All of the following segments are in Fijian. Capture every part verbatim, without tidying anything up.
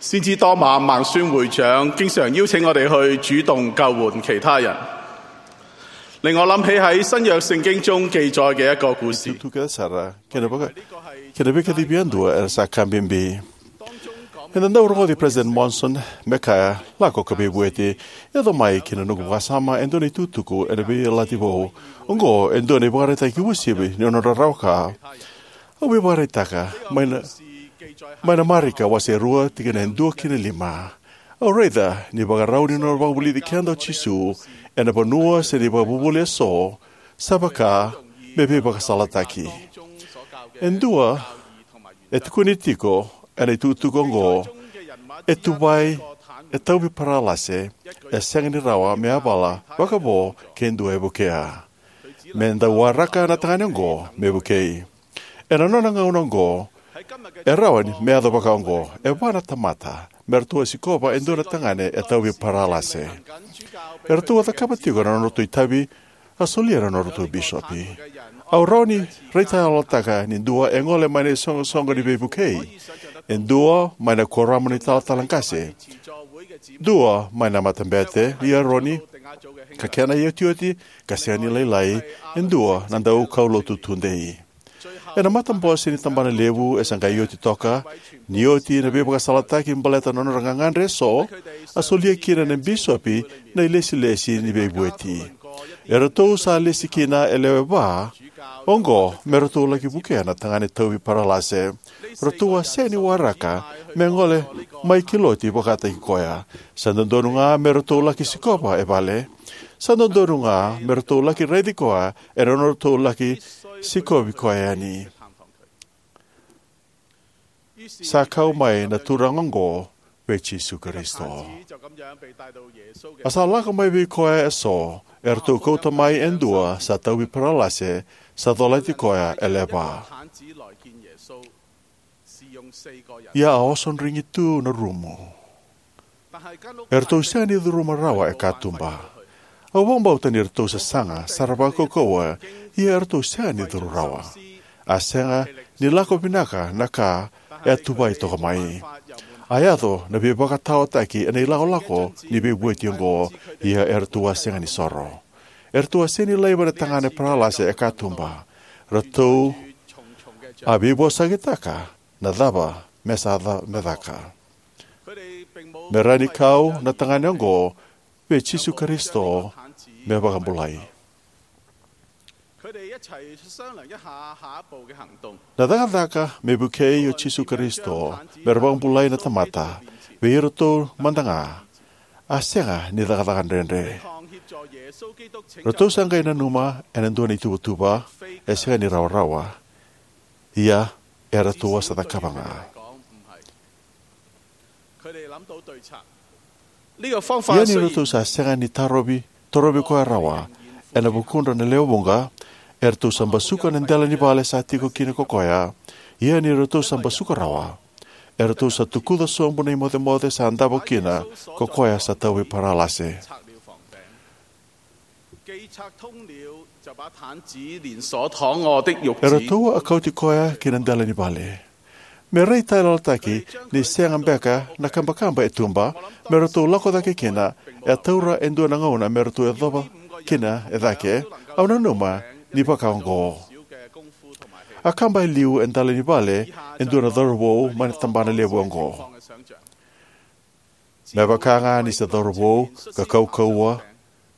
先知多馬孟孫會長經常邀請我哋去主動救援其他人，令我諗起喺新約聖經中記載嘅一個故事。 Tutuki sara kei na vaka kei na veikacivi yadua era sa ka bibi. Eda dau rogoci President Monson me kaya, "Lako ka veivueti." E yaco mai ki na noqu vakasama e dua na itukutuku ena Veiyalayalati Vou. Oqo e dua na ivakaraitaki uasivi ni nodra rawa ka. Au veivakaraitaka mai na, mai na Marika wase rua tikina e dua ki na lima. Au raica ni vakarau ni nona vakavulici keda o Jisu ena vanua se na ivakavuvuli eso sa vaka me veivakasalataki. E dua e tukuni tiko ena itukutuku oqo, e tuvai, e tauvi paralase, e sega ni rawa me yavala vakavo ke dua e vukea. Me dau waraka na tagane oqo me vukei. Ena nona gauna oqo, e rawa ni me yaco vaka oqo, e va na tamata me ratou a sikova e dua na tagane e tauvi paralase. E ratou a cakava tiko na nodratou itavi, a solia na nodratou bisopi. Au rawa ni raitayaloyalotaka ni dua e gole mai na isoqosoqo ni veivukei, e dua mai na kuoramu ni talatala qase, dua mai na matabete i Eroni, ka kena iotioti, ka sega ni lailai, e dua na daukaulotu tudei. Ena matabose ni tabana levu e sa qai oti toka, ni oti na veivakasalataki baleta na nodra gagadre eso, a solia kina na bisopi na ilesilesi ni veivueti. E ratou sa lesi kina e lewe va oqo me ratou laki vukea na tagane tauvi paralase. Ratou a sega ni waraka me gole mai ki lotu vakataki koya. Sa dodonu ga me ratou laki sikova e vale. Sa dodonu ga me ratou laki raici koya ena nodratou laki sikovi koya yani. Sa kau mai na turaga oqo vei Jisu Karisito. A sa lako mai vei koya eso, eratou kauta mai e dua sa tauvi paralase, sa colati koya e lewe va. Ia a osodrigi tu na rumu. Eratou sega ni curuma rawa e katuba. Au vakabauta ni ratou sasaga sara vakaukauwa, ia eratou sega ni curu rawa. A sega ni lako vinaka na ka e a tuvai toka mai. A yaco na veivakataotaki ena ilakolako ni veivueti oqo, ia eratou a sega ni soro. Eratou a sega ni laiva na tagane paralase e katuba. Ratou a veivosakitaka na cava me sa ca-, me caka. Me rawa ni kau na tagane oqo vei Jisu Karisito me vakabulai. Na cakacaka me vukei o Jisu Karisito me ra vakabulai na tamata vei iratou mada ga, a sega ni cakacaka dredre. Ratou sa qai nanuma ena dua na ituvatuva e sega ni rawarawa, ia eratou a sa cakava ga. Ia ni ratou sa sega ni tarovi, torovi koya rawa ena vukudra na lewe vuqa, eratou sa basuka na dela ni vale sa tiko kina ko koya. Ia ni ratou sa basuka rawa, eratou sa tukuca sobu na imocemoce sa davo kina ko koya sa tauvi paralase. Eratou a kauti koya ki na dela ni vale. Me raitayaloyalotaki ni sega beka na kabakaba e tuba me ratou lako cake kina, e taura e dua na gauna me ratou yacova kina e cake. Au nanuma ni vaka oqo. A kaba e liu e dela ni vale e dua na cauravou mai na tabana levu oqo. Me vaka ga ni se cauravou ka kaukauwa,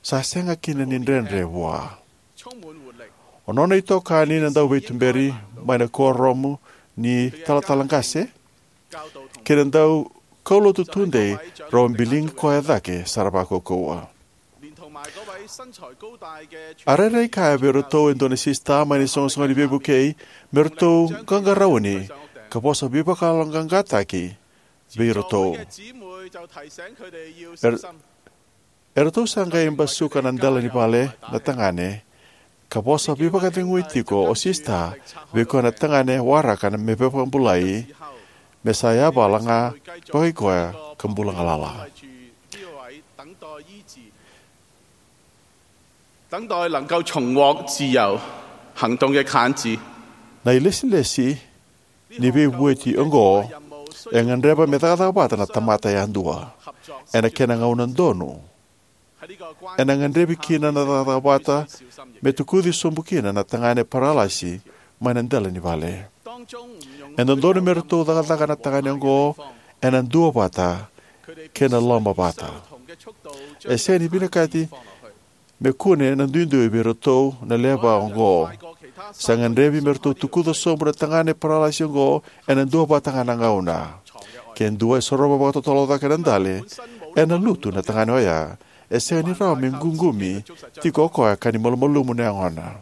sa sega kina ni dredre vua. O nona itokani na dauveituberi mai na kuoramu ni talatala qase kei na daukaulotu tudei, rau a biligi koya cake sara vakaukauwa. A rairai kaya vei iratou e dua na sisita mai na isoqosoqo ni veivukei me ratou qaqarauni ka vosa veivakayaloqaqataki vei iratou. Er-, eratou sa qai basuka na dela ni vale na tagane ka vosa veivakacegui tiko o sisita vei koya na tagane waraka na me veivakabulai, me sa yavala ga vakai koya ka bula galala. 等待能夠重獲自由行動嘅癱子。 Na ilesilesi ni veivueti oqo E gadreva me cakacaka vata na tamata yadua ena kena gauna donu. Ena gadrevi kina na cakacaka vata me tukuci sobu kina na tagane paralasi mai na dela ni vale. E dodonu me ratou cakacaka na tagane oqo ena duavata kei na lomavata. E sega ni vinakati me kune na duidui vei iratou na lewe va oqo. Sa gadrevi me ratou tukuca sobu na tagane paralasi oqo ena duavata ga na gauna. Ke dua e sorova vakatotolo cake na dale, ena lutu na tagane oya. E sega ni rawa me ququmi tiko o koya ka ni malumalumu na yagona.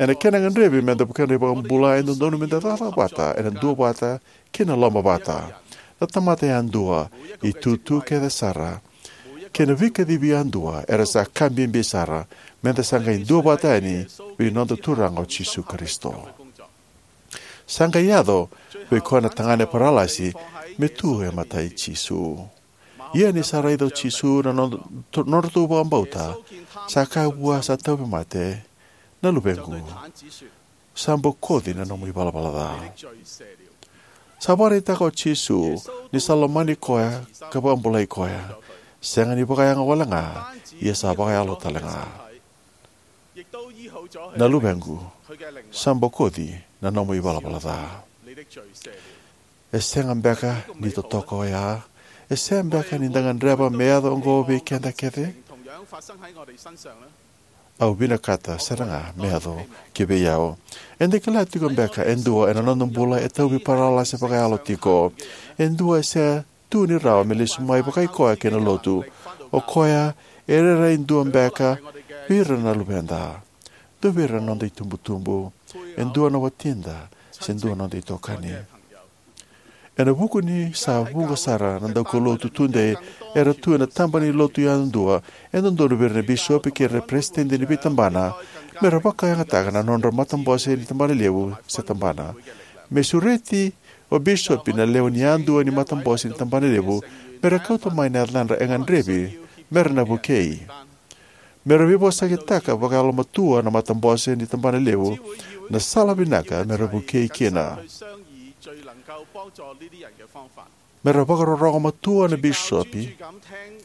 Ena kena gadrevi me da vukea na iVakabula, e dodonu me da cakacaka vata ena duavata kei na lomavata. Na tamata yadua, itutu kece sara, kei na veikacivi yadua era sa ka bibi sara me da sa qai duavata yani vei noda Turaga o Jisu Karisito. Sa qai yaco vei koya na tagane paralasi me tu e matai Jisu. Ia ni sa raica o Jisu na nod-, nodratou vakabauta, sa kaya vua sa tauvimate, "Na luvequ, sa bokoci na nomu ivalavala ca." Sa vakaraitaka o Jisu ni sa lomani koya ka vakabulai koya, sega ni vakayago wale ga, ia sa vakayalo tale ga. "Na luvequ, sa bokoci na nomu ivalavala ca." E sega beka ni totoka oya? E sega beka ni da gadreva me yaco oqo vei keda kece? Au vinakata sara ga me yaco ki vei au. Eda kila tiko beka e dua ena noda bula e tauvi paralasi vakayalo tiko? E dua e sega tu ni rawa me lesu mai vakai koya kei na lotu. O koya e rairai dua beka vei ira na luveda, dua vei ira na noda itubutubu, e dua na watida, se dua na noda itokani. Ena vuku ni sa vuqa sara na daukaulotu tudei era tu ena tabana ni lotu yadua, e dodonu vei ira na bisopi kei ira na peresitedi ni veitabana me ra vakayagataka na nodra matabose ni tabana levu se tabana. Me sureti o bisopi na lewe ni yadua ni matabose ni tabana levu me ra kauta mai na yacadra e gadrevi me ra na vukei. Me ra veivosakitaka vakayalomatua na matabose ni tabana levu na sala vinaka me ra vukei kina. Me ra vakarorogo matua na bisopi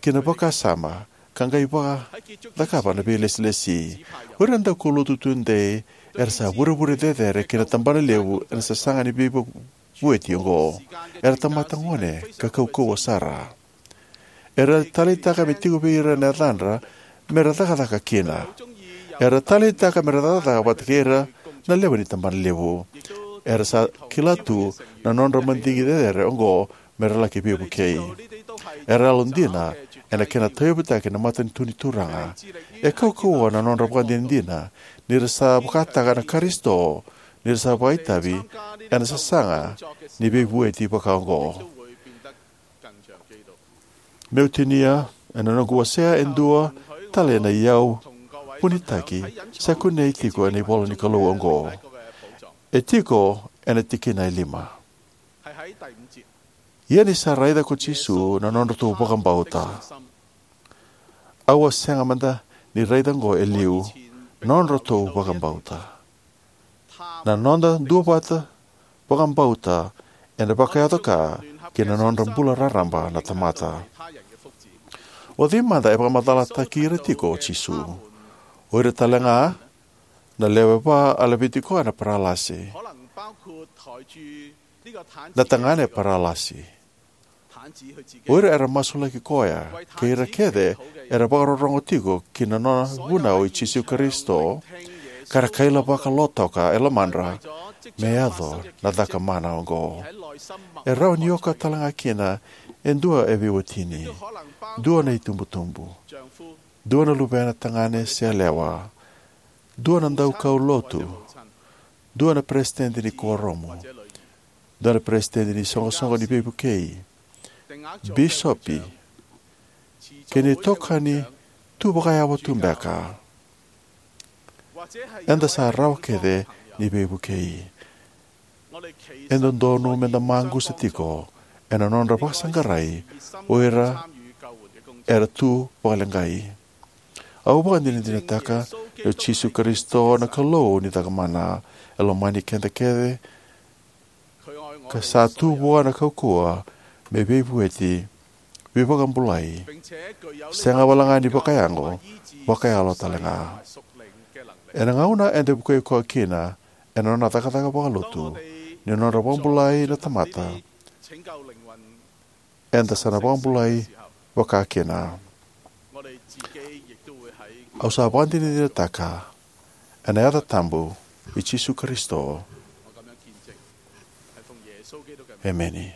ki na vakasama ka qai vakacakava na veilesilesi. O ira na daukaulotu tudei era sa vurevure cecere ki na tabana levu ena sasaga ni veivueti oqo. Era tamata gone ka kaukauwa sara. Era taleitaka me tiko vei ira na yacadra me ra cakacaka kina. Era taleitaka me ra cakacaka vata kei ira na lewe ni tabana levu. Era sa kila tu na nodra madigi cecere oqo me ra laki veivukei. Era yalodina ena kena tauyavutaki na matanitu ni Turaga. E kaukauwa na nodra vakadinadina ni ra sa vakataka na Karisito, ni ra sa vakaitavi ena sasaga ni veivueti vakaoqo. Meu tinia ena noqu wasea e dua tale na iyau vunitaki sa kunei tiko ena ivola ni Kalou oqo. E tiko ena tikina e lima. Ia ni sa raica ko Jisu na nodratou vakabauta. Au a sega mada ni raica oqo e liu, nodratou vakabauta. Na noda duavata vakabauta ena vakayaco ka ki na nodra bula raraba na tamata. O cei mada e vakamacalataki ira tiko o Jisu? O ira tale ga na lewe va a laveti koya na paralasi, na tagane paralasi. O ira era masulaki koya, kei ira kece era vakarorogo tiko ki na nona vunau i Jisu Karisito, ka ra kailavaka lotoka e lomadra me yaco na caka mana oqo. E rawa ni oka tale ga kina e dua e veiwatini, dua na itubutubu, dua na luvena tagane se yalewa, dua na daukaulotu, dua na peresitedi ni kuoramu, dua na peresitedi ni soqosoqo ni veivukei, bisopi, kei na itokani tu vakayawa tu beka. Eda sa rawa kece ni veivukei. E dodonu me da maqusa tiko ena nodra vakasaqarai o ira era tu vakaleqai. Au vakadinadinataka ni o Jisu Karisito na Kalou ni cakamana. E lomani keda kece. ka sa tu vua na kaukauwa me veivueti, veivakabulai, sega walega ni vakayago, vakayalo talega. Ena gauna eda vukei koya kina ena nona cakacaka vakalotu ni nodra vakabulai na tamata, eda sa na vakabulai vakakina. Au sa vakadinadinataka ena yaca tabu i Jisu Karisito. Emeni.